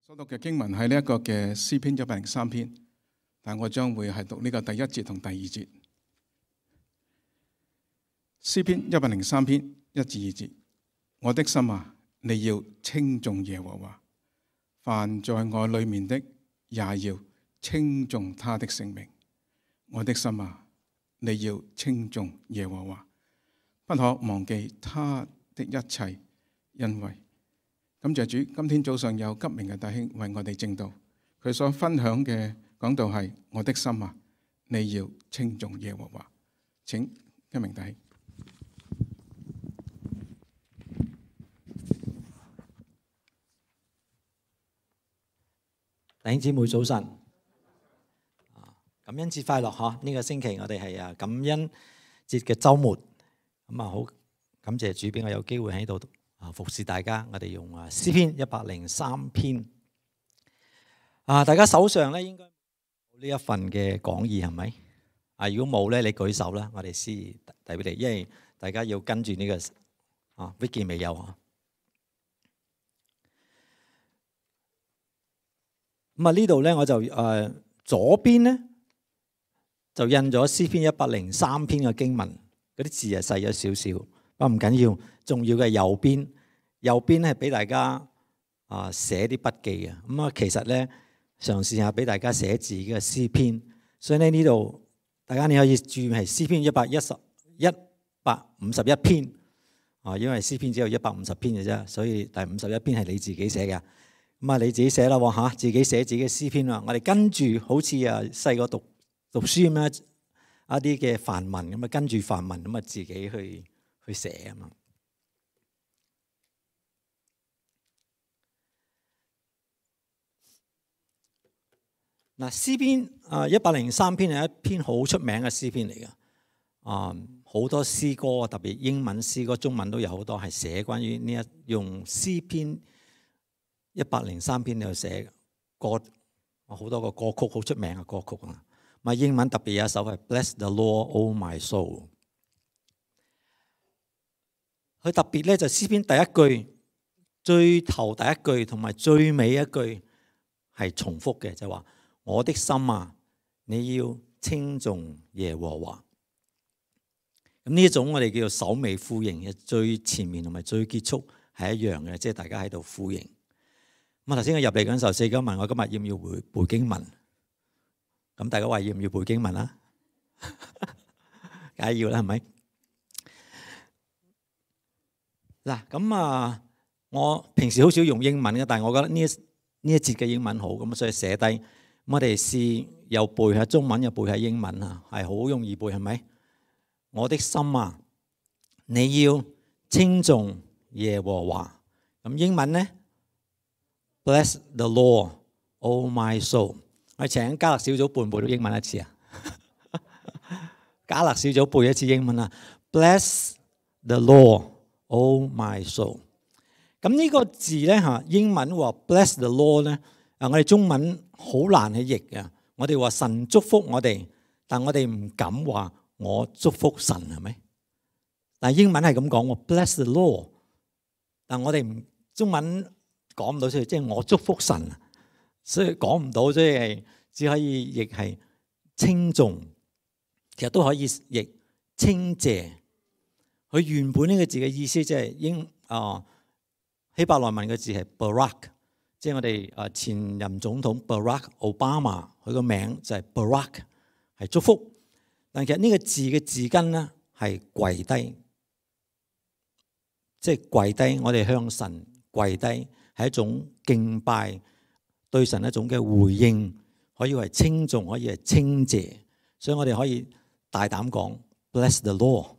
所讀嘅經文係呢一個嘅詩篇103篇，但我將會係讀呢個第1節同第2節。詩篇103篇1至2節，我的心啊，你要稱頌耶和華，凡在我裏面的也要稱頌他的聖名。我的心啊，你要稱頌耶和華，不可忘記他的一切恩惠。感謝主，今天早上有吉明嘅弟兄為我哋證道，佢所分享嘅講道係我的心啊，你要稱頌耶和華。請吉明弟兄。弟兄姊妹早晨，感恩節快樂嗬！呢個星期我哋係感恩節嘅週末，咁好感謝主俾我有機會喺度服侍大家。我哋用詩篇103篇，大家手上咧應該有呢一份嘅講義係咪？如果冇咧，你舉手啦，我哋先遞俾你，因為大家要跟住呢個Vicky 未有啊。咁呢度咧我就左邊咧就印咗詩篇103篇嘅經文，嗰啲字係細咗少少，不過唔緊要。重要嘅右邊咧係俾大家寫啲筆記嘅。咁其實咧嘗試下俾大家寫自己嘅詩篇，所以咧呢度大家你可以注意係詩篇151篇因為詩篇只有150篇嘅啫，所以第51篇係你自己寫嘅。咁你自己寫啦嚇，自己寫自己嘅詩篇啦。我哋跟住好似細個讀書咁樣一啲嘅範文咁跟住範文咁自己去寫啊嘛。嗱，詩篇103篇係一篇好出名嘅詩篇嚟嘅。好多詩歌，特別英文詩歌、中文都有好多係寫關於呢用詩篇103篇嚟寫歌，好多個歌曲好出名嘅歌曲啊。英文特別有一首係 Bless the Lord, O my soul。佢特別咧就詩篇第一句、最頭第一句同埋最尾一句係重複嘅，就話我的心啊，你要稱頌耶和華。咁呢一種我哋叫做首尾呼應嘅，最前面同埋最結束係一樣嘅，即係大家喺度呼應。咁頭先我入嚟嗰陣時候，四哥問我今日要唔要背經文，咁大家話要唔要背經文啊？梗係要啦，係咪？嗱，咁我平時好少用英文嘅，但係我覺得呢一節嘅英文好，咁所以寫低。咁我哋試又背下中文又背下英文啊，係好容易背，係咪？我的心啊，你要稱頌耶和華。咁英文咧 Bless the Lord, O my soul。我哋請加勒小組背唔背到英文一次啊？加勒小組背一次英文啊 ！Bless the Lord, O my soul。咁呢個字咧英文話 Bless the Lord 咧，我哋中文好難去譯嘅。我哋話神祝福我哋，但我哋唔敢話我祝福神，係咪？但係英文係咁講喎 ，Bless the Lord。但我哋中文講唔到出嚟，即係我祝福神，所以講唔到，所以係只可以譯係稱頌，其實都可以譯稱謝。佢原本呢個字嘅意思即係希伯來文嘅字係 Barak， 即係我哋前任總統 Barack Obama， 佢個名就係 Barak， 係祝福。但其實呢個字嘅字根咧係跪低，即係跪低。我哋向神跪低係一種敬拜，對神一種嘅回應，可以係稱頌，可以係稱謝。所以我哋可以大膽講 Bless the Lord，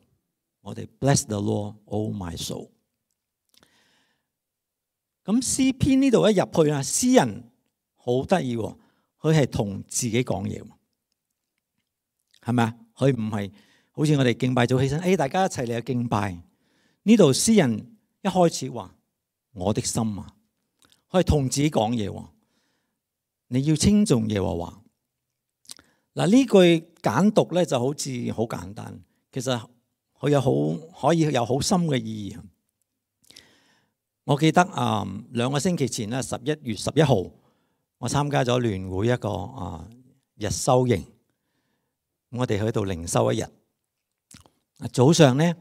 我哋 Bless the Lord, O my soul。咁詩篇呢度一入去詩人好得意喎，佢係同自己講嘢，係咪啊？佢唔係好似我哋敬拜早起身，大家一齊嚟去敬拜。呢度詩人一開始話我的心啊，佢係同自己講嘢，你要稱頌耶和華。嗱，呢句簡讀咧就好似好簡單，其實佢可以有好深嘅意義。我記得2個星期前咧，11月11號，我參加咗聯會一個日修營，我哋去到靈修一日。早上咧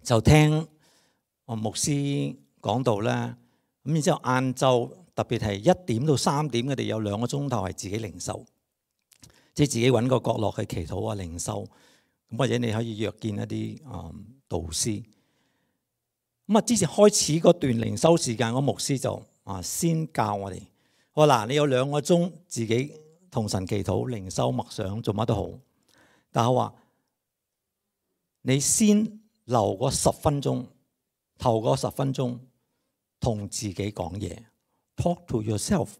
就聽我牧師講道啦，咁然之後晏晝特別係1點到3點，我哋有2個鐘頭係自己靈修，即係自己揾個角落去祈禱啊靈修。咁或者你可以約見一啲導師。咁之前開始嗰段靈修時間，個牧師就先教我哋，我話嗱，你有2個鐘自己同神祈禱、靈修、默想，做乜都好。但係我話你先留嗰10分鐘，頭嗰10分鐘同自己講嘢 ，talk to yourself。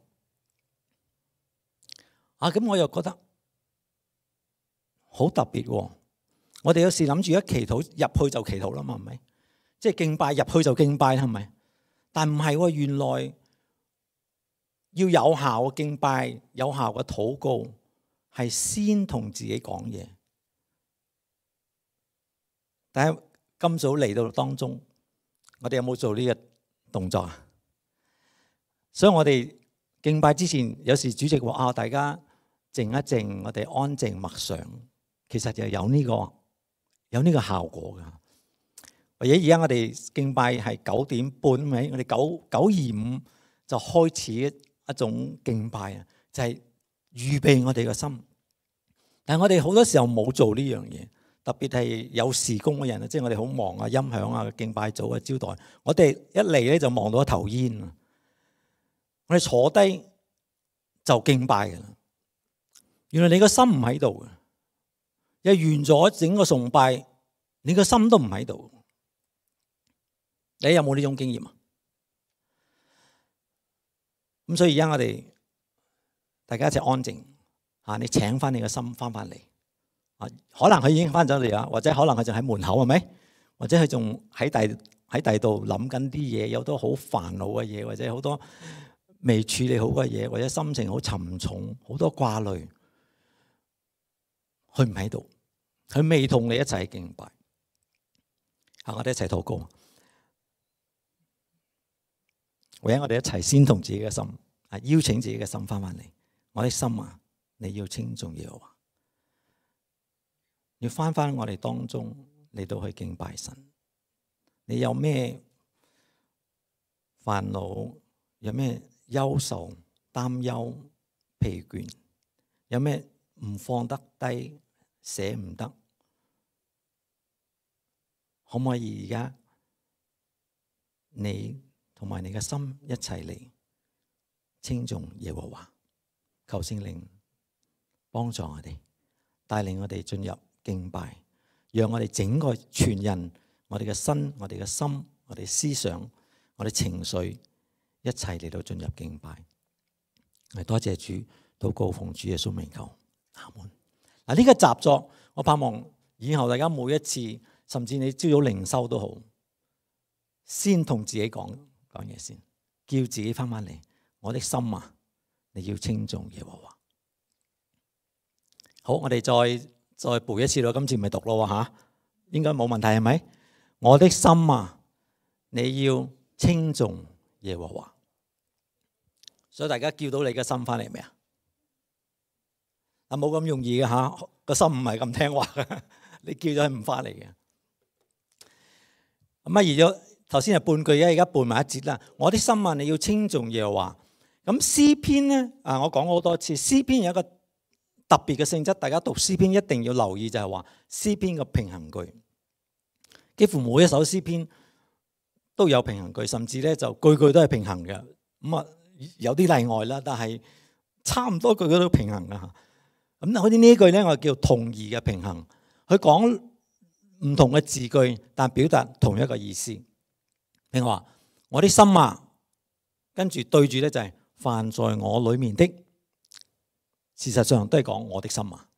咁我又覺得好特別喎。我哋有時諗住一祈禱入去就祈禱啦嘛，係咪？即係敬拜入去就敬拜啦，係咪？但唔係喎，原來要有效嘅敬拜、有效嘅禱告，係先同自己講嘢。但係今早嚟到當中，我哋有冇做呢個動作啊？所以我哋敬拜之前，有時主席話大家靜一靜，我哋安靜默想，其實就有呢個效果㗎。或者而家我哋敬拜係9點半，咪我哋9:25就開始一種敬拜啊，就係預備我哋嘅心。但係我哋好多時候冇做呢樣嘢，特別係有事工嘅人啊，即係我哋好忙啊，音響啊、敬拜組啊、招待，我哋一嚟咧就忙到一頭煙啊。我哋坐低就敬拜㗎啦。原來你個心唔喺度嘅，又完咗整個崇拜，你個心都唔喺度。你有冇呢種經驗啊？咁所以而家我哋大家一齊安靜嚇，你請翻你個心翻嚟啊！可能佢已經翻咗嚟啦，或者可能佢就喺門口係咪？或者佢仲喺第度諗緊啲嘢，有好多好煩惱嘅嘢，或者好多未處理好嘅嘢，或者心情好沉重，好多掛慮。佢唔喺度，佢未同你一齊敬拜。我哋一齊禱告。或者我哋一齊先同自己嘅心邀請自己嘅心翻返嚟。我的心啊，你要稱頌耶和華，要翻返我哋當中嚟到去敬拜神。你有咩煩惱？有咩憂愁、擔憂、疲倦？有咩唔放得低、捨唔得？可唔可以而家你同埋你嘅心一齊嚟稱頌耶和華？求聖靈幫助我哋，帶領我哋進入敬拜，讓我哋整個全人，我哋嘅身、我哋嘅心、我哋思想、我哋情緒一齊嚟到進入敬拜。多謝主，禱告奉主耶穌名求，阿門。嗱，呢個習作，我盼望以後大家每一次，甚至你朝早靈修都好，先同自己講嘢先，叫自己翻返嚟。我的心啊，你要稱頌耶和華。好，我哋再背一次咯，今次咪讀咯吓，應該冇問題係咪？我的心啊，你要稱頌耶和華。所以大家叫到你嘅心翻嚟未啊？冇咁容易嘅吓，個心唔係咁聽話嘅，你叫咗佢唔翻嚟嘅。咁而咗頭先係半句，而家半埋一節啦。我的心啊，你要稱頌耶和華。咁詩篇咧，我講過好多次，詩篇有一個特別嘅性質，大家讀詩篇一定要留意，就係話詩篇嘅平衡句，幾乎每一首詩篇都有平衡句，甚至咧就句句都係平衡嘅。咁有啲例外啦，但係差唔多句句都平衡噶。咁好似呢句咧，我叫同義嘅平衡，佢講唔同嘅字句，但表達同一個意思。譬如話我啲心啊，跟住對住咧就係凡在我裏面的，事實上都係講我的心啊。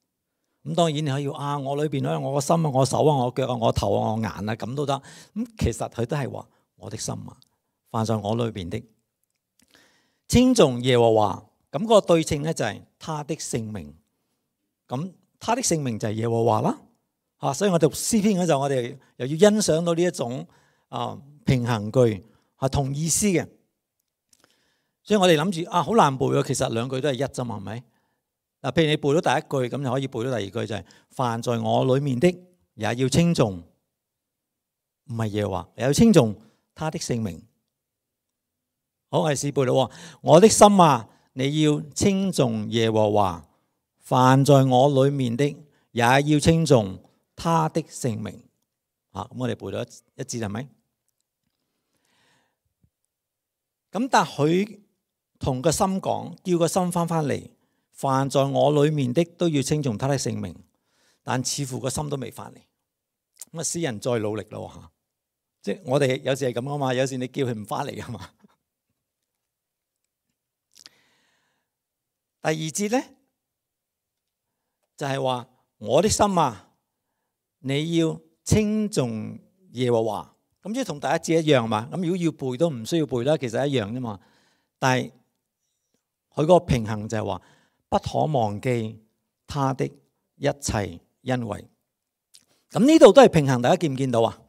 咁當然你可以我裏邊咧，我個心啊，我手啊，我腳啊，我頭啊，我眼啊，咁都得。咁其實佢都係話我的心啊，凡在我裏邊的，稱頌耶和華。咁嗰個對稱咧就係他的聖名。咁他的聖名就係耶和華啦。所以我讀詩篇嗰陣，我哋又要欣賞到呢一種平衡句。係同意思嘅。所以我哋諗住啊，好難背喎。其實兩句都係一啫嘛，係咪？嗱，譬如你背到第一句，咁就可以背到第二句，就係凡在我裡面的，也要稱頌，唔係耶和華，也要稱頌他的聖名。好，我哋試背咯。我的心啊，你要稱頌耶和華，凡在我裡面的，也要稱頌他的聖名。咁我哋背到一節係咪？咁但係佢同個心講，叫個心翻嚟，凡在我裡面的都要稱頌他的聖名。但似乎個心都未翻嚟。咁啊，詩人再努力咯嚇，即係我哋有時係咁啊嘛，有時你叫佢唔翻嚟啊嘛。第二節咧就係話我的心啊，你要稱頌耶和華。咁即係同第一節一樣嘛。咁如果要背都唔需要背啦，其實一樣啫嘛。但係佢嗰個平衡就係話不可忘記他的一切恩惠。咁呢度都係平衡，大家見唔見到啊？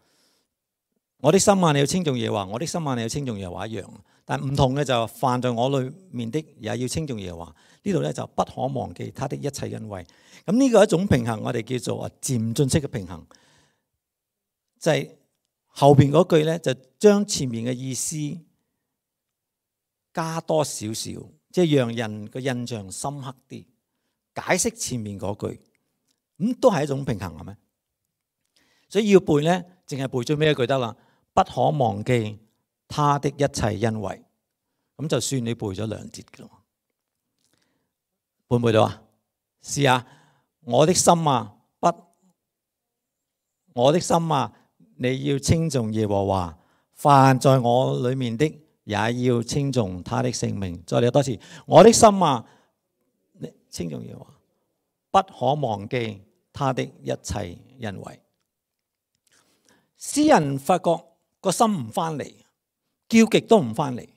我的心啊，你要稱頌耶和華；我的心啊，你要稱頌耶和華一樣。但唔同嘅就凡在我裡面的，也要稱頌耶和華。呢度咧就不可忘記他的一切恩惠。咁呢個一種平衡，我哋叫做漸進式嘅平衡，就係後邊嗰句咧就將前面嘅意思加多少少，即係讓人個印象深刻啲，解釋前面嗰句，咁都係一種平衡係咪？所以要背咧，淨係背最尾一句得啦。不可忘記他的一切恩惠，咁就算你背咗兩節嘅咯。背唔背到啊？試下，我的心啊，我的心啊，你要稱頌耶和華，凡在我裡面的，也要稱頌他的聖名。再嚟多次，我的心啊，你稱頌耶和華，不可忘記他的一切恩惠。詩人發覺個心唔翻嚟，叫極都唔翻嚟，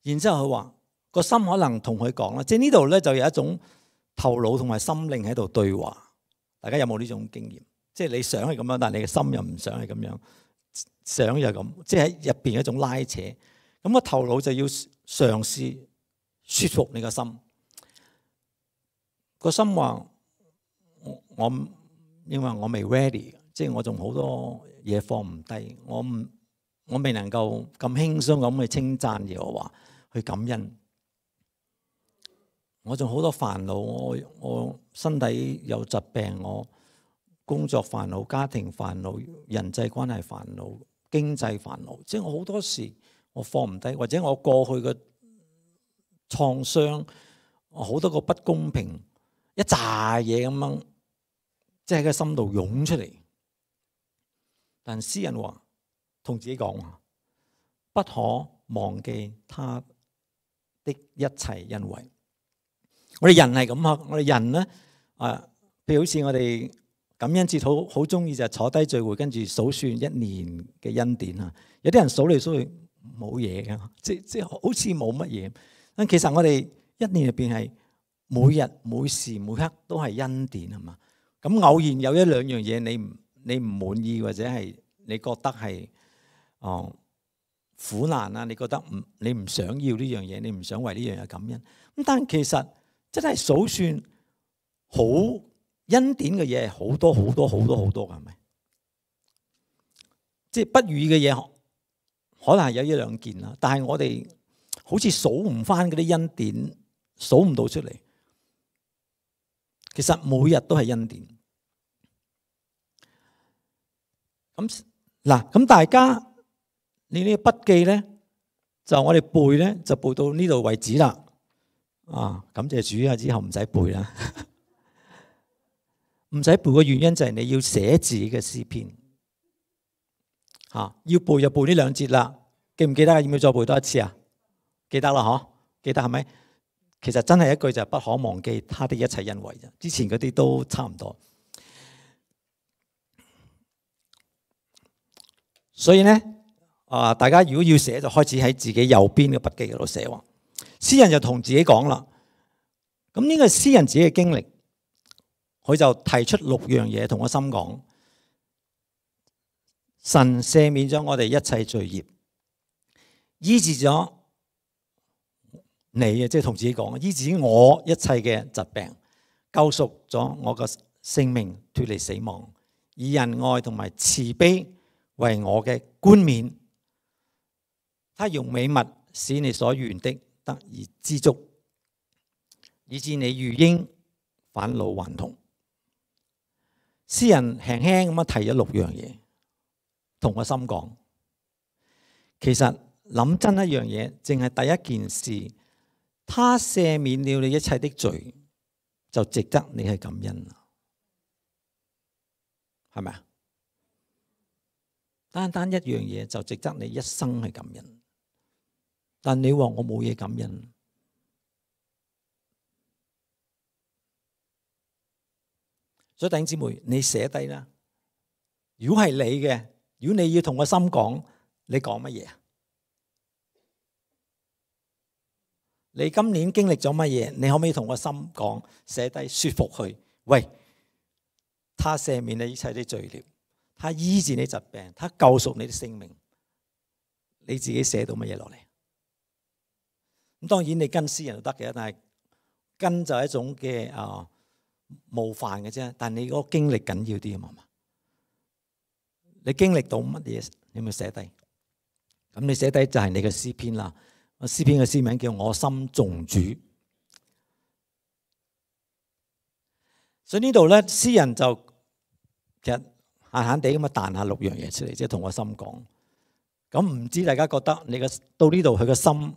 然之後佢話個心可能同佢講啦，即係呢度咧就有一種頭腦同埋心靈喺度對話。大家有冇呢種經驗？即係你想係咁樣，但係你嘅心又唔想係咁樣，想又咁，即係喺入邊一種拉扯。咁個頭腦就要嘗試說服你個心。個心話我因為我未 ready。即係我仲好多嘢放唔低，我未能夠咁輕鬆咁去稱讚耶和華，去感恩。我仲好多煩惱，我身體有疾病，我工作煩惱、家庭煩惱、人際關係煩惱、經濟煩惱，即係我好多時我放唔低，或者我過去嘅創傷，好多個不公平，一紮嘢咁樣，即係喺個心度湧出嚟。但詩人話同自己講話，不可忘記他的一切恩惠。我哋人係咁啊，我哋人咧譬如好似我哋感恩節好中意就係坐低聚會，跟住數算一年嘅恩典啊。有啲人數嚟數去冇嘢嘅，即好似冇乜嘢。但其實我哋一年入邊係每日每時每刻都係恩典係嘛。咁偶然有一兩樣嘢你唔滿意，或者係你覺得係苦難啊，你覺得你唔想要呢樣嘢，你唔想為呢樣嘢感恩。咁但其實真係數算好恩典嘅嘢係好多好多好多好多嘅，係咪？即係不如意嘅嘢可能係有一兩件啦，但係我哋好似數唔翻嗰啲恩典，數唔到出嚟。其實每日都係恩典。咁大家你呢個筆記咧，就我哋背咧，就背到呢度為止啦。感謝主啊！之後唔使背啦，唔使背嘅原因就係你要寫自己嘅詩篇。要背就背呢兩節啦。記唔記得啊？要唔要再背多一次啊？記得啦，嗬？記得係咪？其實真係一句就係不可忘記他的一切恩惠啫。之前嗰啲都差唔多。所以咧，大家如果要寫，就開始喺自己右邊嘅筆記嗰度寫喎。詩人就同自己講啦，咁呢個詩人自己嘅經歷，佢就提出6樣嘢同個心講：神赦免咗我哋一切罪孽，醫治咗你啊，即係同自己講，醫治我一切嘅疾病，救贖咗我嘅性命，脫離死亡，以仁愛同埋慈悲為我嘅冠冕。他用美物使你所願的得以知足，以致你如鷹返老還童。詩人輕輕咁樣提咗6樣嘢，同個心講。其實諗真一樣嘢，淨係第一件事，他赦免了你一切的罪，就值得你去感恩啦，係咪啊？單單一樣嘢就值得你一生去感恩。但你話我冇嘢感恩，所以弟兄姊妹，你寫低啦。如果係你嘅，如果你要同個心講，你講乜嘢啊？你今年經歷咗乜嘢？你可唔可以同個心講，寫低說服佢？喂，他赦免你一切的罪孽，他醫治你疾病，他救贖你的性命。你自己寫到乜嘢落嚟？咁當然你跟詩人就得嘅，但係跟就係一種嘅冒犯嘅啫。但係你嗰個經歷緊要啲啊嘛。你經歷到乜嘢，你咪寫低。咁你寫低就係你嘅詩篇啦。詩篇嘅詩名叫我心頌主。所以呢度咧，詩人就其實閒閒地咁樣彈下6樣嘢出嚟，即係同個心講。咁唔知大家覺得你嘅到呢度佢個心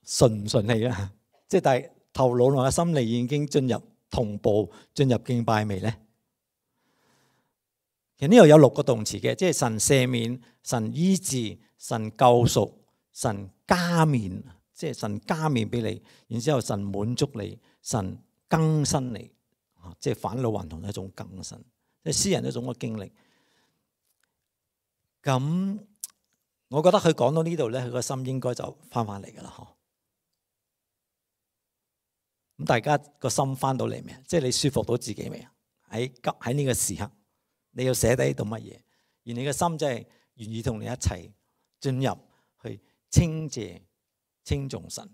順唔順利啊？即係但係頭腦同個心理已經進入同步進入敬拜未咧？其實呢度有6個動詞嘅，即係神赦免、神醫治、神救贖、神加冕，即係神加冕俾你，然之後神滿足你，神更新你，即係返老還童一種更新，即係詩人一種嘅經歷。咁我覺得佢講到呢度咧，佢個心應該就翻嚟噶啦，嗬。咁大家個心翻到嚟未？即係你舒服到自己未啊？喺呢個時刻，你要寫低到乜嘢？而你嘅心真係願意同你一齊進入去稱謝、稱頌神。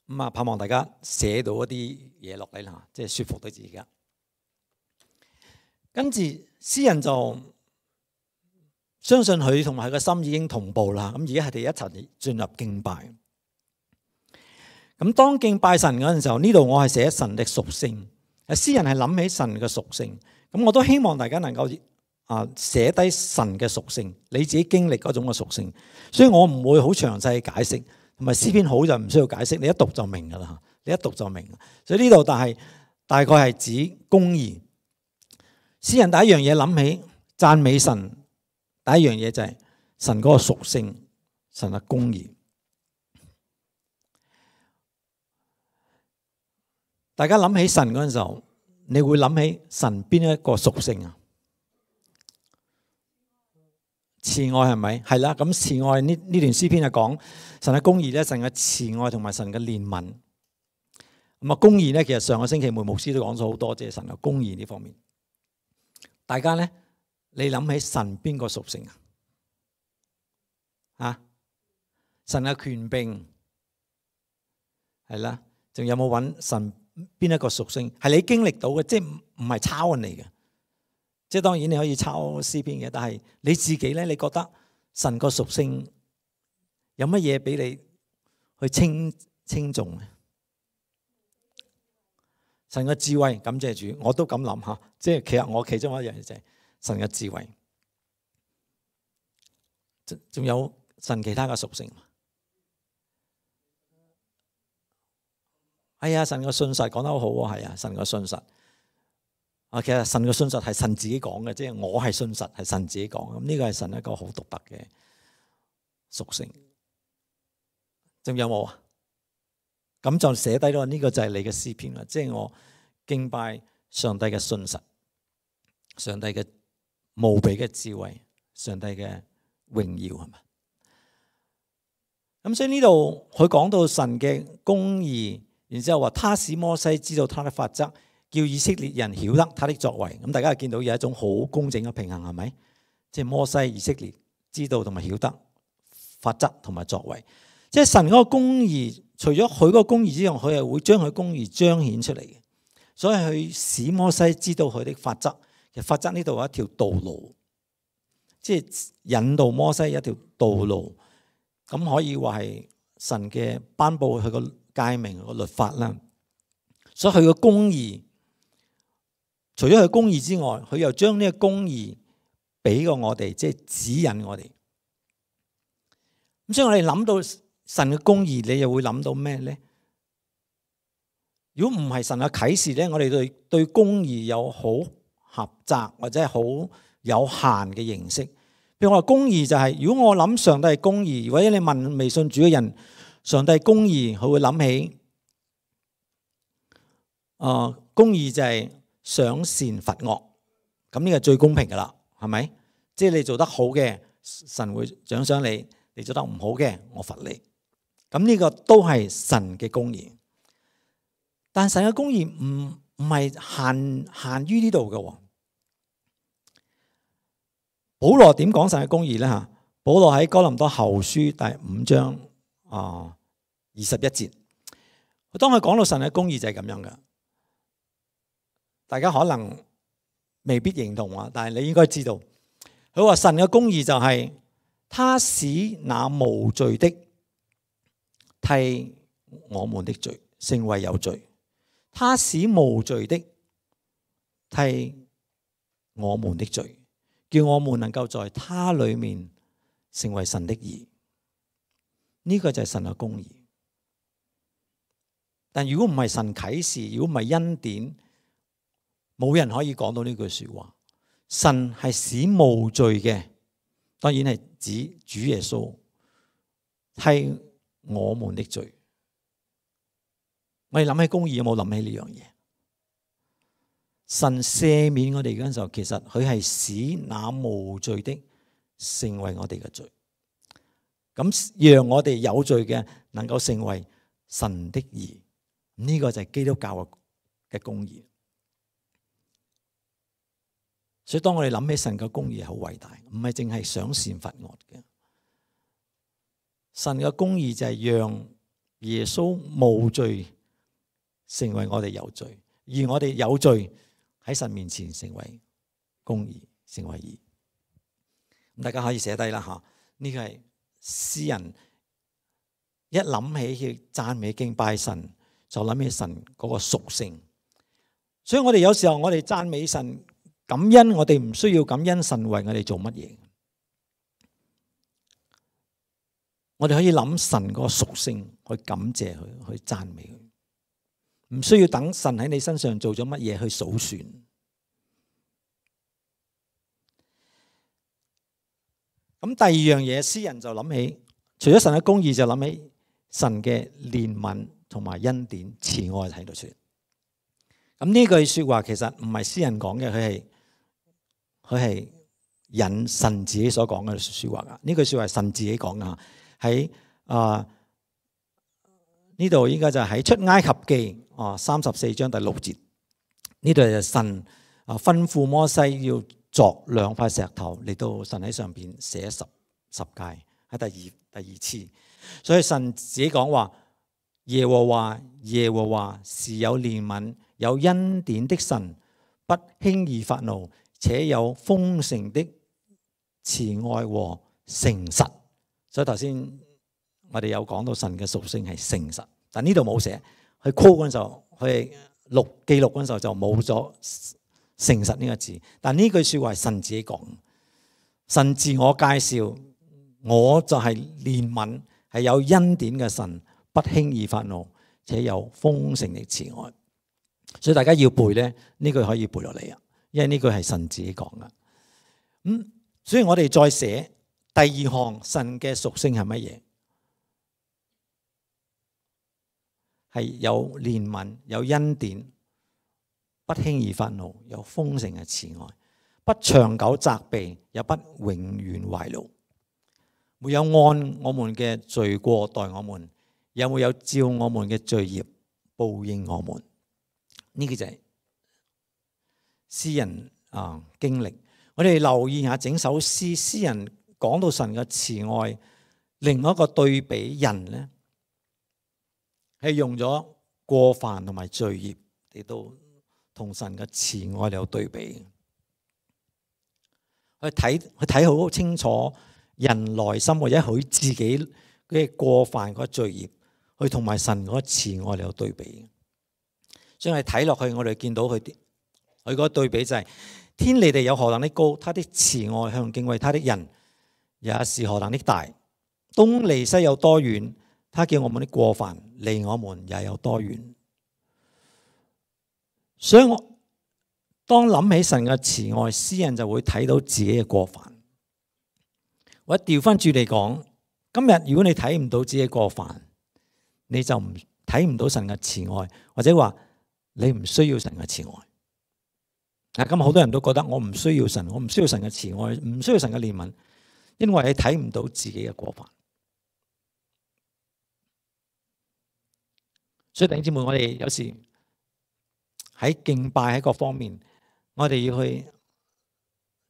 咁啊，盼望大家寫到一啲嘢落嚟啦，即係舒服到自己。跟住詩人就相信佢同埋佢個心已經同步啦。咁而家係哋一齊進入敬拜。咁當敬拜神嗰陣時候，呢度我係寫神的屬性。詩人係諗起神嘅屬性。咁我都希望大家能夠寫低神嘅屬性，你自己經歷嗰種嘅屬性。所以我唔會好詳細解釋，同埋詩篇好就唔需要解釋，你一讀就明噶啦。你一讀就明。所以呢度大概係指公義。詩人第一樣嘢諗起讚美神，第一樣嘢就係神嗰個屬性，神嘅公義。大家諗起神嗰陣時候，你會諗起神邊一個屬性啊？慈愛係咪？係啦，咁慈愛呢段詩篇就講神嘅公義咧，神嘅慈愛同埋神嘅憐憫。咁啊，公義咧，其實上個星期梅牧師都講咗好多，即係神嘅公義呢方面。大家咧，你諗起神邊個屬性啊？神嘅權柄係啦，仲有冇揾神邊一個屬性係你經歷到嘅？即係唔係抄人嚟嘅。即係當然你可以抄詩篇嘅，但係你自己咧，你覺得神個屬性有乜嘢俾你去稱頌咧？神嘅智慧，感謝主，我都咁諗下。即係其實我其中一樣嘢就係神嘅智慧，仲有神其他嘅屬性。哎呀，神嘅信實講得好好啊，係啊，神嘅信實。其實神嘅信實係神自己講嘅，即係我係信實係神自己講。咁呢個係神一個好獨特嘅屬性。仲有冇啊？咁就寫低咗，呢個就係你嘅詩篇啦。即係我敬拜上帝嘅信實，上帝嘅無比嘅智慧，上帝嘅榮耀，係咪？咁所以呢度佢講到神嘅公義，然之後話他使摩西知道他的法則，叫以色列人曉得他的作為。咁大家見到有一種好工整嘅平衡，係咪？即係摩西、以色列知道同埋曉得法則同埋作為。即係神嗰個公義，除咗佢嗰個公義之外，佢係會將佢公義彰顯出嚟嘅。所以佢使摩西知道佢的法則。其實法則呢度有一條道路，即係引導摩西一條道路。咁可以話係神嘅頒布佢個誡命個律法啦。所以佢個公義，除咗佢公義之外，佢又將呢個公義俾過我哋，即係指引我哋。咁所以我哋諗到神嘅公義，你又會諗到咩咧？如果唔係神嘅啟示咧，我哋對公義有好狹窄或者係好有限嘅認識。譬如我話公義就係，如果我諗上帝係公義，或者你問未信主嘅人，上帝係公義，佢會諗起公義就係賞善罰惡，咁呢個最公平噶啦，係咪？即係你做得好嘅，神會獎賞你；你做得唔好嘅，我罰你。咁呢個都係神嘅公義。但神嘅公義唔係限於呢度嘅。保羅點講神嘅公義咧？吓，保羅喺哥林多後書第5章21節，當佢講到神嘅公義就係咁樣嘅。大家可能未必認同啊，但係你應該知道，佢話神嘅公義就係他使那無罪的替我們的罪成為有罪，他使無罪的替我們的罪，叫我們能夠在他裏面成為神的義。呢個就係神嘅公義。但如果唔係神啟示，如果唔係恩典，冇人可以講到呢句說話。神係使無罪嘅，當然係指主耶穌替我們的罪。我哋諗起公義，有冇諗起呢樣嘢？神赦免我哋嗰陣時候，其實佢係使那無罪的成為我哋嘅罪，咁讓我哋有罪嘅能夠成為神的義。呢個就係基督教嘅公義。所以當我哋諗起神嘅公義好偉大，唔係淨係賞善罰惡嘅。神嘅公義就係讓耶穌無罪成為我哋有罪，而我哋有罪喺神面前成為公義，成為義。咁大家可以寫低啦吓，呢個係詩人一諗起去讚美敬拜神，就諗起神嗰個屬性。所以我哋有時候我哋讚美神感恩，我哋唔需要感恩神為我哋做乜嘢。我哋可以諗神嗰個屬性去感謝佢，去讚美佢，唔需要等神喺你身上做咗乜嘢去數算。咁第二樣嘢，詩人就諗起，除咗神嘅公義，就諗起神嘅憐憫同埋恩典、慈愛喺度說。咁呢句說話其實唔係詩人講嘅，佢係引神自己所講嘅說話噶。呢句說話係神自己講噶，喺呢度應該就係喺出埃及記34章第6節。呢度就神吩咐摩西要鑿2塊石頭嚟到神喺上邊寫十誡，喺第二次。所以神自己講話，耶和華是有憐憫有恩典的神，不輕易發怒，且有豐盛的慈愛和誠實。所以頭先我哋有講到神嘅屬性係誠實，但呢度冇寫。佢 call 嗰陣時候，佢記錄嗰陣時候就冇咗誠實呢個字。但呢句說話係神自己講，神自我介紹，我就係憐憫，係有恩典嘅神，不輕易發怒，且有豐盛的慈愛。所以大家要背咧，呢句可以背落嚟啊，因為呢句係神自己講噶。所以我哋再寫第二項神嘅屬性係乜嘢？係有憐憫、有恩典，不輕易發怒，有豐盛嘅慈愛，不長久責備，也不永遠懷怒，沒有按我們嘅罪過待我們，也沒有照我們嘅罪孽報應我們。呢個就係詩人經歷。我哋留意下整首詩，詩人講到神嘅慈愛，另一個對比人呢，係用咗過犯同埋罪孽嚟到同神嘅慈愛有對比。去睇好清楚人內心或者佢自己嘅過犯嗰個罪孽，去同埋神嗰個慈愛嚟有對比。所以我哋睇落去，我哋見到佢嗰個對比就係、是、天離地有何等的高，他的慈愛向敬畏他的人也是何等的大。東離西有多遠，他叫我們的過犯離我們也有多遠。所以我當諗起神嘅慈愛，詩人就會睇到自己嘅過犯。或者調翻轉嚟講，今日如果你睇唔到自己嘅過犯，你就睇唔到神嘅慈愛，或者話你唔需要神嘅慈愛。今日好多人都覺得我唔需要神，我唔需要神嘅慈愛，唔需要神嘅憐憫，因為你睇唔到自己嘅過犯。所以弟兄姊妹，我哋有時喺敬拜喺各方面，我哋要去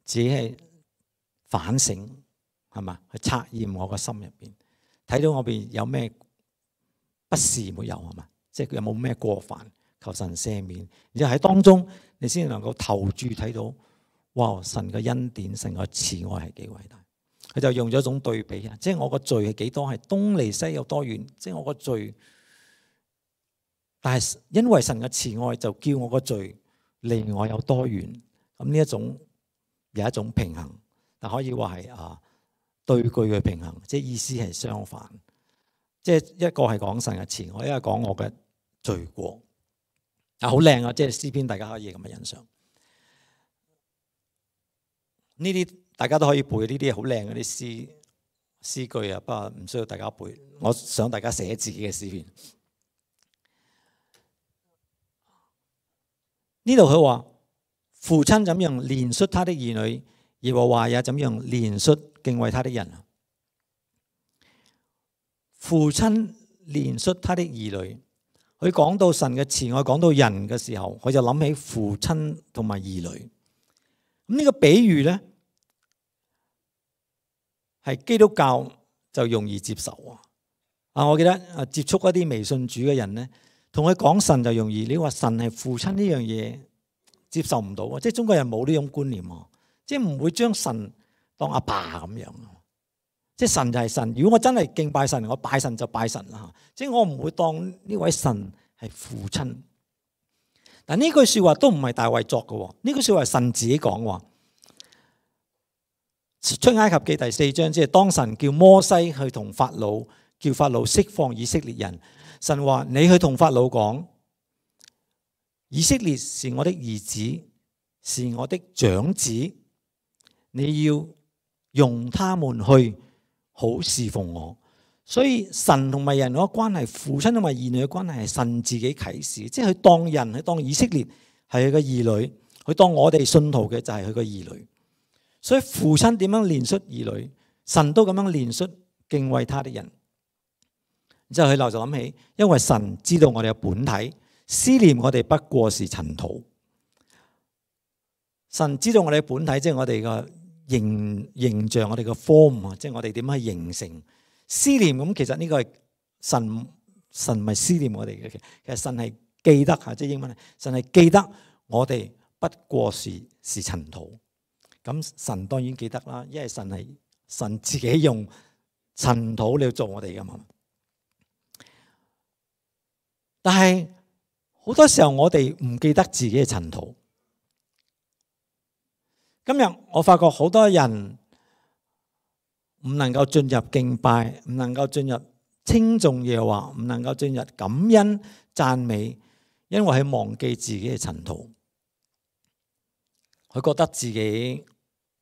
自己係反省，係嘛？去測驗我個心入邊，睇到我邊有咩不是沒有，係嘛？即係有冇咩過犯，求神赦免。然後喺當中，你先能夠投注睇到，哇！神嘅恩典，神嘅慈愛係幾偉大。佢就用咗一種對比啊，即係我個罪係幾多，係東離西有多遠，即係我個罪。但係因為神嘅慈愛，就叫我個罪離我有多遠。咁呢一種有一種平衡，但可以話係對句嘅平衡，即係意思係相反。即係一個係講神嘅慈愛，一個講我嘅罪過。好靚啊！即係詩篇，大家可以咁嘅欣賞。呢啲大家都可以背，呢啲好靚嗰啲詩句啊，不過唔需要大家背。我想大家寫自己嘅詩篇。呢度佢話父親怎樣憐恤他的兒女，耶和華也怎樣憐恤敬畏他的人。父親憐恤他的兒女，佢講到神嘅慈愛，講到人嘅時候，佢就諗起父親同埋兒女。咁呢個比喻呢，係基督教就容易接受啊！我記得接觸一啲未信主嘅人呢，同佢講神就容易。你話神係父親呢樣嘢接受唔到啊！即係中國人冇呢種觀念啊，即係唔會將神當阿爸咁樣。即係神就係神。如果我真係敬拜神，我拜神就拜神啦。即係我唔會當呢位神係父親。但呢句說話都唔係大衛作嘅，呢句說話係神自己講話。出埃及記第4章，即係當神叫摩西去同法老，叫法老釋放以色列人。神話你去同法老講，以色列是我的兒子，是我的長子，你要用他們去好侍奉我。所以神同埋人嗰個關係，父親同埋兒女嘅關係係神自己啟示，即係佢當人，佢當以色列係佢嘅兒女，佢當我哋信徒嘅就係佢嘅兒女。所以父親點樣憐恤兒女，神都咁樣憐恤敬畏他的人。之後佢就諗起，因為神知道我哋嘅本體，思念我哋不過是塵土。神知道我哋嘅本體，即係我哋嘅形象，我哋嘅 form 啊，即係我哋點樣去形成。思念咁，其實呢個係神唔係思念我哋嘅，其實神係記得吓，即係英文，神係記得我哋不過是塵土。咁神當然記得啦，因為神係神自己用塵土嚟做我哋噶嘛。但係好多時候我哋唔記得自己嘅塵土。今日我發覺好多人唔能夠進入敬拜，唔能夠進入稱頌耶和華，唔能夠進入感恩讚美，因為佢忘記自己嘅塵土。佢覺得自己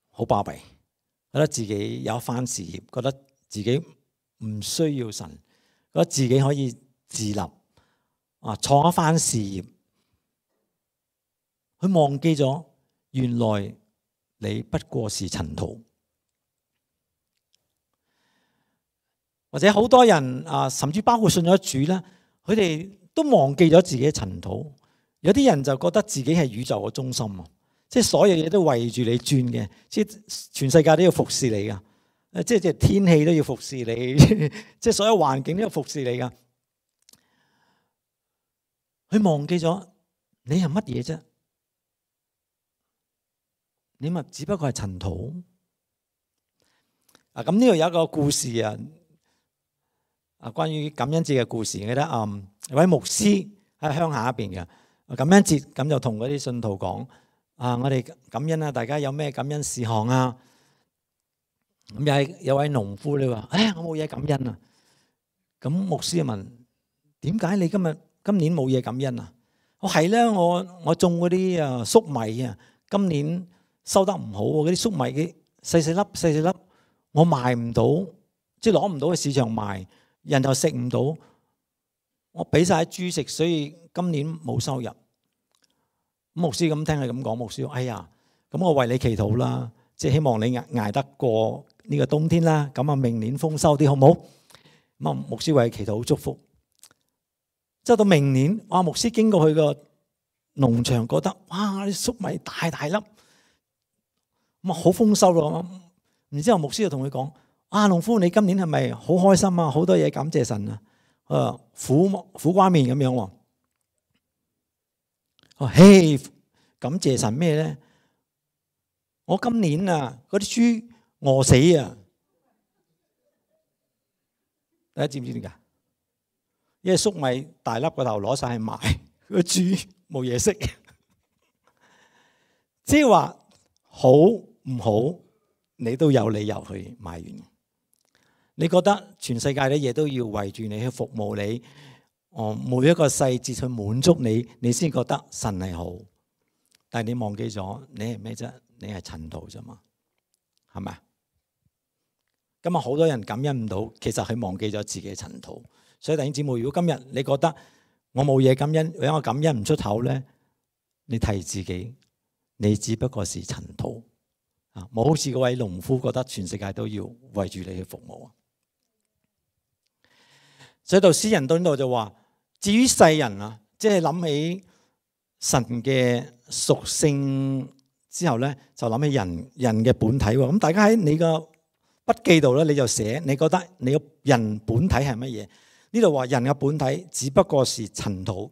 好巴閉，覺得自己有一番事業，覺得自己唔需要神，覺得自己可以自立創一番事業。佢忘記咗原來你不過是塵土。或者好多人甚至包括信咗主啦，佢哋都忘記咗自己嘅塵土。有啲人就覺得自己係宇宙嘅中心啊，即係所有嘢都圍住你轉嘅，即係全世界都要服侍你噶，即係天氣都要服侍你，即係所有環境都要服侍你噶。佢忘記咗你係乜嘢啫？你咪只不過係塵土。咁呢度有一個故事啊，關於感恩節嘅故事。記得有位牧師喺鄉下邊嘅感恩節，咁就同嗰啲信徒講：我哋感恩啊，大家有咩感恩事項啊？咁有位農夫你話：我冇嘢感恩啊。咁牧師就問：點解你今年冇嘢感恩啊？我係咧，我種嗰啲粟米啊，今年收得唔好，嗰啲粟米嘅細粒，我賣唔到，即係攞唔到去市場賣，人又食唔到，我俾晒豬食，所以今年冇收入。牧師咁聽佢咁講，牧師話：哎呀，咁我為你祈禱啦，即係希望你捱得過呢個冬天啦，咁啊明年豐收啲好唔好？咁啊牧師為佢祈禱祝福。之後到明年，牧師經過佢個農場，覺得哇啲粟米大粒，咁啊好豐收咯。然之後牧師就同佢講：農夫你今年係咪好開心啊？好多嘢感謝神啊！苦瓜面咁樣喎。嘿，感謝神咩咧？我今年啊，嗰啲豬餓死啊！大家知唔知點解？因為粟米大粒個頭攞晒去賣，個豬冇嘢食。即係話好唔好，你都有理由去埋怨。你覺得全世界啲嘢都要圍住你去服務你，每一個細節去滿足你，你先覺得神係好。但係你忘記咗，你係咩啫？你係塵土啫嘛，係咪？今日好多人感恩唔到，其實佢忘記咗自己嘅塵土。所以弟兄姊妹，如果今日你覺得我冇嘢感恩，或者我感恩唔出口咧，你提自己，你只不過是塵土啊！冇好似嗰位農夫覺得全世界都要圍住你去服務啊！所以到詩人到呢度就話：至於世人啊，即係諗起神嘅屬性之後咧，就諗起人嘅本體喎。咁大家喺你個筆記度咧，你就寫你覺得你個人本體係乜嘢？呢度話人嘅本體只不過是塵土。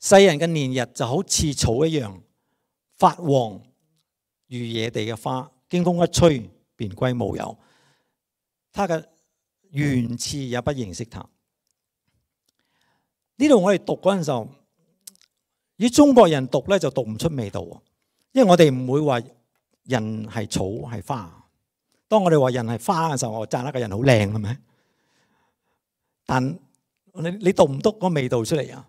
世人嘅年日就好似草一樣，發黃如野地嘅花，經風一吹便歸無有。他嘅原次也不認識他。呢度我哋讀嗰陣時候，以中國人讀咧就讀唔出味道，因為我哋唔會話人係草係花。當我哋話人係花嘅時候，我讚一個人好靚，係咪？但你讀唔讀個味道出嚟啊？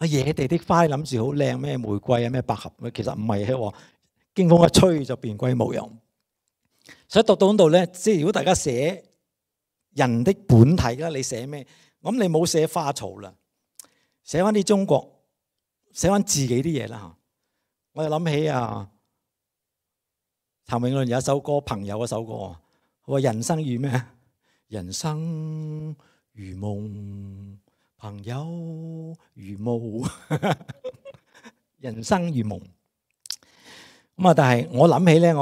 野地的花，諗住好靚咩？玫瑰啊，咩百合，其實唔係嘅。經風一吹就便歸無有。所以讀到嗰度咧，即係如果大家寫人的本體啦，你寫咩？咁你冇寫花草啦，寫翻啲中國，寫翻自己啲嘢啦嚇。我又諗起譚詠麟有一首歌，朋友嗰首歌，佢話人生如咩？人生如夢，朋友如霧，人生如夢。咁但係我諗起咧，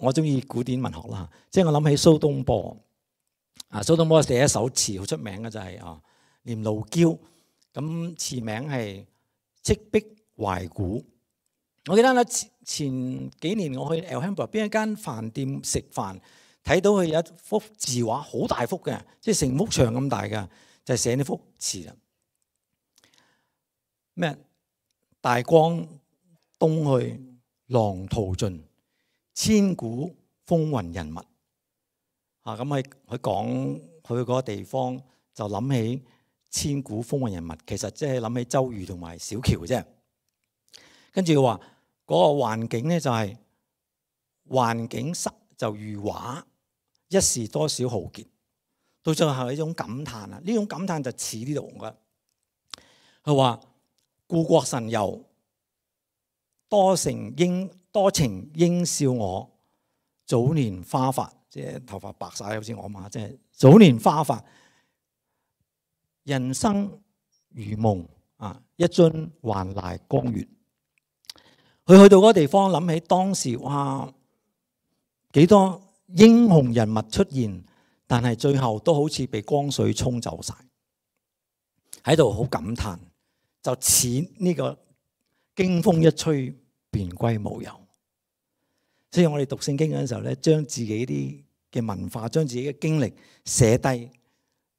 我中意古典文學啦，即係我諗起蘇東坡。蘇東坡寫一首詞好出名嘅就係《念奴嬌》，咁詞名係《赤壁懷古》。我記得咧前幾年我去 Alhambra 邊一間飯店食飯，睇到佢有一幅字畫，好大幅嘅，即係成幅牆咁大嘅，就係寫呢幅詞啦。咩？大江東去，浪淘盡，千古風雲人物。咁佢講佢嗰個地方，就諗起千古風雲人物，其實即係諗起周瑜同埋小喬啫。跟住話嗰個環境咧就係環境濕就如畫，一時多少豪傑。到最後係一種感嘆啊！呢種感嘆就似呢度嘅。佢話故國神遊，多情應笑我，早年華發。即係頭髮白晒，好似我媽，即係早年華發，人生如夢啊！一樽還酹江月。佢去到嗰個地方，諗起當時哇幾多英雄人物出現，但係最後都好似被江水沖走晒，喺度好感嘆，就似呢個經風一吹便歸無有。所以我哋讀聖經嗰陣時候咧，將自己啲嘅文化，將自己嘅經歷寫低，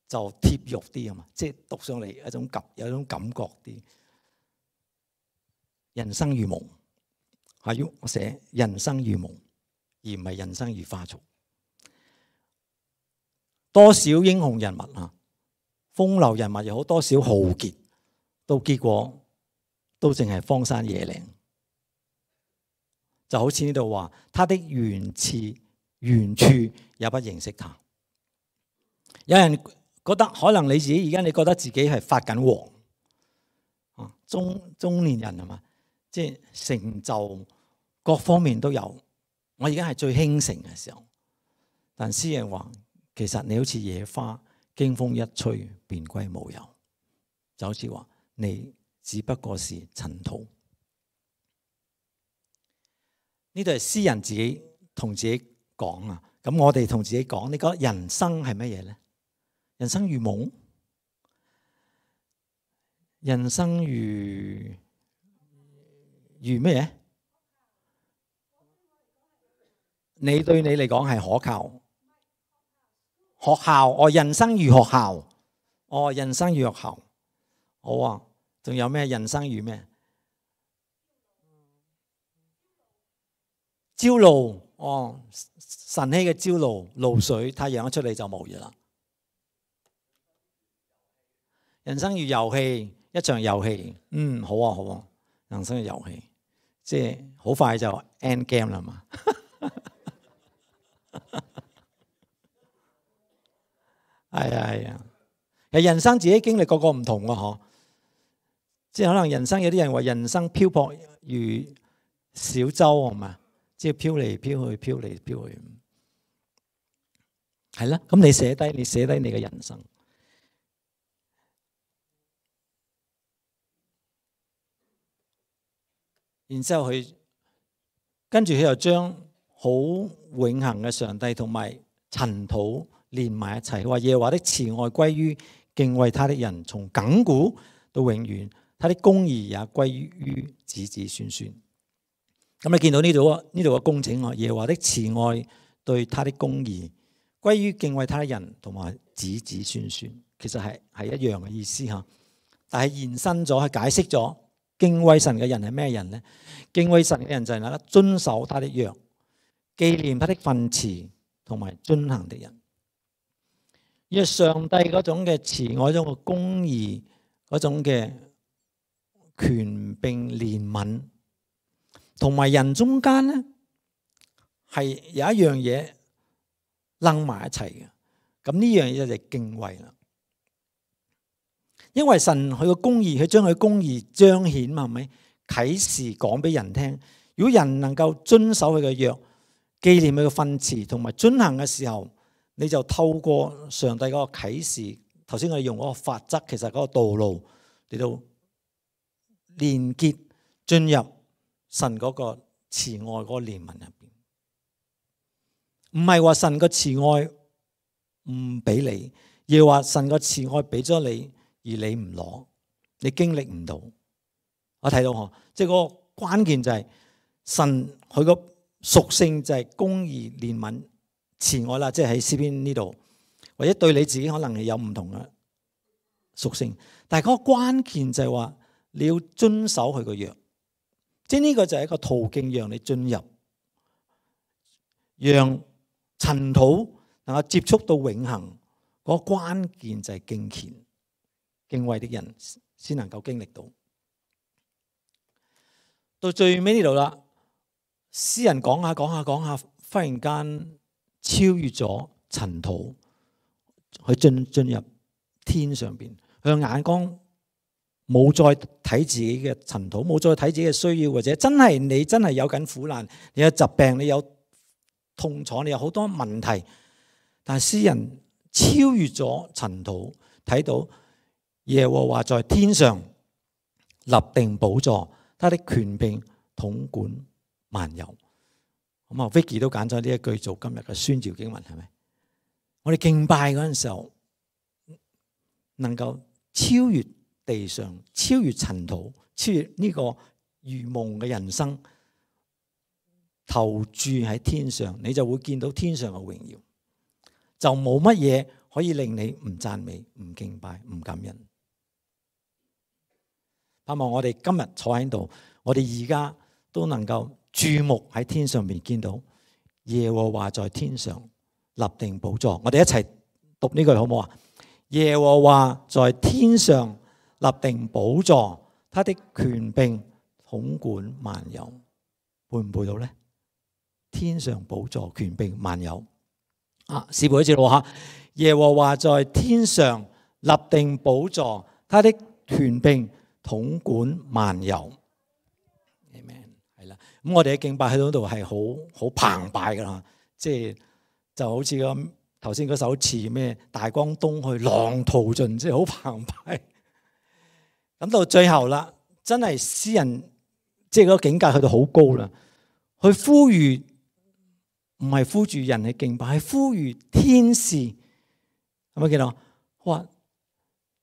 就貼肉啲啊嘛，即係讀上嚟有一種感覺啲。人生如夢，係我寫人生如夢，而唔係人生如花草。多少英雄人物啊，風流人物又好，多少豪傑，到結果都淨係荒山野嶺。就好似呢度話，他的原處也不認識他。有人覺得可能你自己而家你覺得自己係發緊黃啊，中年人係嘛，即係成就各方面都有。我而家係最興盛嘅時候，但詩人話，其實你好似野花，經風一吹便歸無有，就好似話你只不過是塵土。呢度係詩人自己同自己講啊，咁我哋同自己講，你覺得人生係乜嘢咧？人生如夢，人生如咩嘢？你對你嚟講係可靠。學校，哦，人生如學校，哦，人生如學校，好啊，仲有咩？人生如咩？朝露，哦，晨曦嘅朝露，露水，太陽一出嚟就冇嘢啦。人生如遊戲，一場遊戲，好啊好啊，人生嘅遊戲，即係好快就 end game 啦嘛。係啊，其實人生自己經歷個個唔同嘅嗬，即係可能人生有啲人話人生漂泊如小舟係嘛，即係飄嚟飄去，飄嚟飄去，係啦。咁你寫低你嘅人生，然之後跟住佢又將好永恆嘅上帝同埋塵土連埋一齊，話耶和華的慈愛歸於敬畏他的人，從亙古到永遠，他的公義也歸於子子孫孫。咁你見到呢度嘅工整啊，耶和華的慈愛對他的公義歸於敬畏他的人同埋子子孫孫，其實係一樣嘅意思嚇。但係延伸咗，係解釋咗敬畏神嘅人係咩人呢？敬畏神嘅人就係那個遵守他的約、紀念他的訓詞同埋遵行的人。因為上帝嗰種嘅慈愛、嗰種嘅公義、嗰種嘅權柄憐憫，同埋人中間咧係有一樣嘢掕埋一齊嘅。咁呢樣嘢就係敬畏啦。因為神佢個公義，佢將佢公義彰顯嘛，係咪？啟示講俾人聽。如果人能夠遵守佢嘅約、紀念佢嘅訓詞同埋遵行嘅時候，你就透過上帝嗰個啟示，頭先我哋用嗰個法則，其實嗰個道路嚟到連結進入神嗰個慈愛嗰個憐憫入邊。唔係話神個慈愛唔俾你，而係話神個慈愛俾咗你，而你唔攞，你經歷唔到。我睇到嗬，即係嗰個關鍵就係神佢個屬性就係公義、憐憫、慈愛啦，即係喺詩篇呢度，或者對你自己可能係有唔同嘅屬性，但係嗰個關鍵就係話你要遵守佢個約，即係呢個就係一個途徑，讓你進入，讓塵土能夠接觸到永恆。嗰個關鍵就係敬虔、敬畏的人先能夠經歷到。到最尾呢度啦，詩人講下，忽然間超越咗塵土，去進入天上邊。佢嘅眼光冇再睇自己嘅塵土，冇再睇自己嘅需要，或者你真係有緊苦難，你有疾病，你有痛楚，你有好多問題。但係詩人超越咗塵土，睇到耶和華在天上立定寶座，他的權柄統管萬有。咁啊 Vicky 都揀咗呢一句做今日嘅宣召經文，係咪？我哋敬拜嗰陣時候，能夠超越地上，超越塵土，超越呢個如夢嘅人生，投注喺天上，你就會見到天上嘅榮耀，就冇乜嘢可以令你唔讚美、唔敬拜、唔感恩。盼望我哋今日坐喺度，我哋而家都能夠注目喺天上面，見到耶和華在天上立定寶座。我哋一齊讀呢句好唔好啊？耶和華在天上立定寶座，他的權柄統管萬有。背唔背到呢？天上寶座，權柄萬有。試背一次咯吓。耶和華在天上立定寶座，他的權柄統管萬有。Amen。係啦，咁我哋嘅敬拜喺嗰度係好澎湃噶啦，即係就好似咁頭先嗰首詞咩大江東去，浪淘盡，即係好澎湃。咁到最後啦，真係詩人即係嗰個境界去到好高啦，去呼籲唔係呼住人去敬拜，係呼籲天使，係咪見到？哇！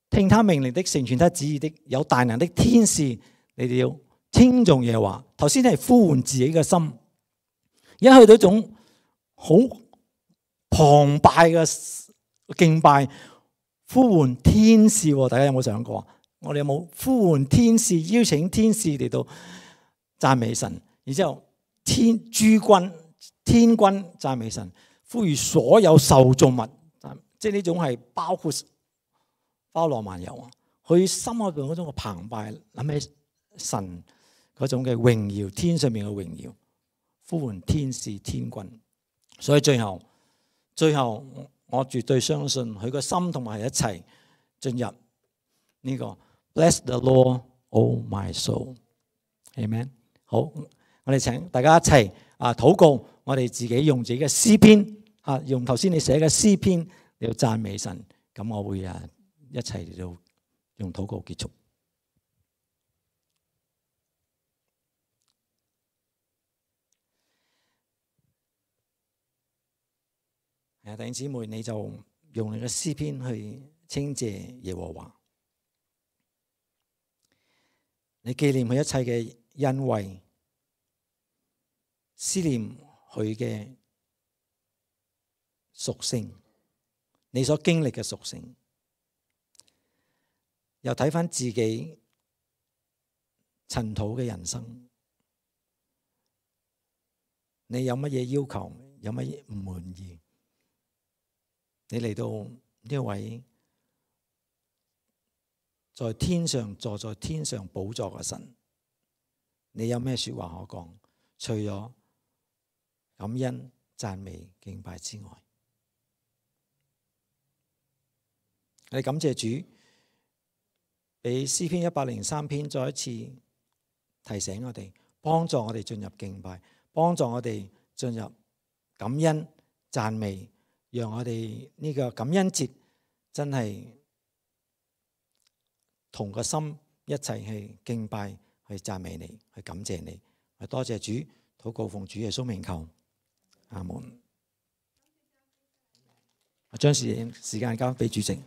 聽他命令的，成全他旨意的，有大能的天使，你哋要稱頌耶和華。頭先係呼喚自己嘅心，一去到一種好澎湃嘅敬拜，呼喚天使。大家有冇想過？我哋有冇呼喚天使，邀請天使嚟到讚美神？然之後天君讚美神，呼籲所有受造物，即係呢種係包羅萬有啊！佢心裏邊嗰種嘅澎湃，諗起神嗰種嘅榮耀，天上面嘅榮耀，呼喚天使天君。所以最後我絕對相信佢個心同埋一齊進入呢個 Bless the Lord, O my soul。Amen。好，我哋請大家一齊禱告，我哋自己用自己嘅詩篇用頭先你寫嘅詩篇嚟到讚美神。咁我會一齊嚟到用禱告結束。弟兄姊妹，你就用你嘅詩篇去稱謝耶和華，你紀念佢一切嘅恩惠，思念佢嘅屬性，你所經歷嘅屬性。又睇返自己塵土嘅人生，你有乜嘢要求？有乜嘢唔滿意？你嚟到呢位在天上坐在天上寶座嘅神，你有咩說話可講？除咗感恩、讚美、敬拜之外，我哋感謝主。俾詩篇103篇再一次提醒我哋，幫助我哋進入敬拜，幫助我哋進入感恩讚美，讓我哋呢個感恩節真係同個心一齊去敬拜，去讚美你，去感謝你。多謝主，禱告奉主耶穌名求，阿門。將時間交俾主席。